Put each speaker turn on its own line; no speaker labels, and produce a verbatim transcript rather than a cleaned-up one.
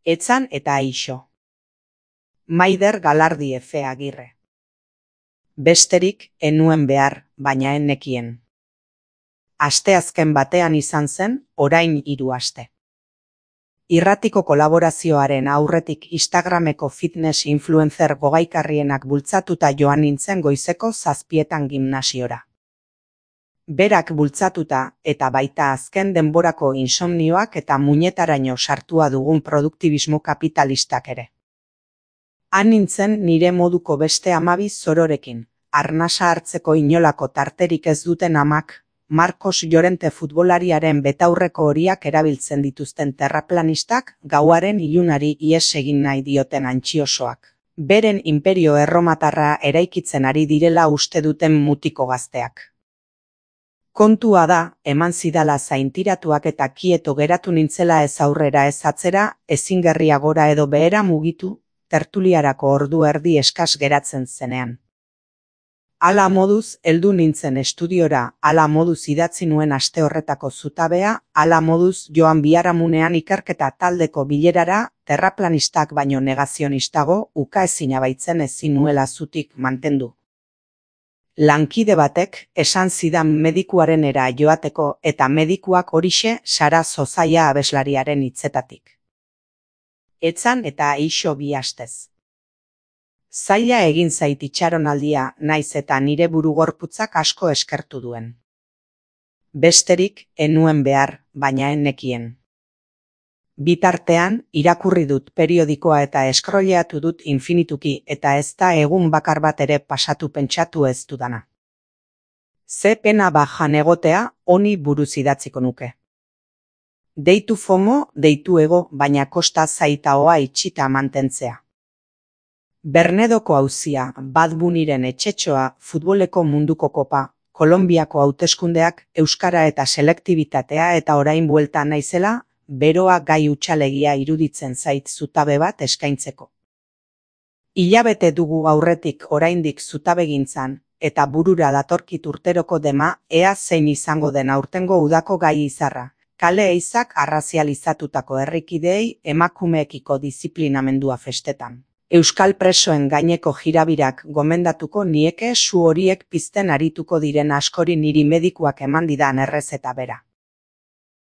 Etzan eta Aixo. Maider Galardi Efe Agirre. Besterik enuen behar, baina ennekien. Asteazken batean izan zen, orain hiru aste. Irratiko kolaborazioaren aurretik Instagrameko fitness influencer gogaikarrienak bultzatuta joan nintzen goizeko zazpietan gimnasiora. Berak bultzatuta eta baita azken denborako insomnioak eta muñetaraino sartua dugun produktibismo kapitalistak ere. Han nintzen nire moduko beste hamabi zororekin, arnasa hartzeko inolako tarterik ez duten amak, Marcos Llorente futbolariaren betaurreko horiak erabiltzen dituzten terraplanistak, gauaren ilunari ihes egin nahi dioten antxiosoak. Beren inperio erromatarra eraikitzen ari direla uste duten mutiko gazteak. Kontua da, eman zidala zaintiratuak eta kieto geratu nintzela ez aurrera ez atzera, ezingerria gora edo behera mugitu, tertuliarako ordu erdi eskas geratzen zenean. Hala moduz, heldu nintzen estudiora, hala moduz idatzi nuen aste horretako zutabea, hala moduz joan biharamunean ikerketa taldeko bilerara, terraplanistak baino negazionistago, ukaezina baitzen ezin nuela zutik mantendu. Lankide batek esan zidan medikuarenera joateko eta medikuak horixe Sara Zozaia abeslariaren hitzetatik. Etzan eta Aixo bi astez. Zaila egin zait itxaronaldia, naiz eta nire burugorputzak asko eskertu duen. Besterik enuen behar, baina ennekien. Bitartean, irakurri dut periodikoa eta eskroleatu dut infinituki eta ez da egun bakar bat ere pasatu pentsatu ez dudana. Ze pena bajan egotea, honi buruz idatziko nuke. Deitu fomo, deitu ego, baina kosta zaita hoa itxita mantentzea. Bernedoko auzia, Bad Bunnyren etxetxoa, futboleko munduko kopa, Kolonbiako hauteskundeak, euskara eta selektibitatea eta orain buelta naizela, beroa gai utxalegia iruditzen zait zutabe bat eskaintzeko. Hilabete dugu aurretik oraindik zutabegintzan, eta burura datorkit urteroko dema, ea zein izango den aurtengo udako gai izarra, kale eizak arrazializatutako herrikideei emakumeekiko disiplinamendua festetan. Euskal presoen gaineko jirabirak gomendatuko nieke su horiek pizten arituko diren askori niri medikuak eman didan errezeta bera.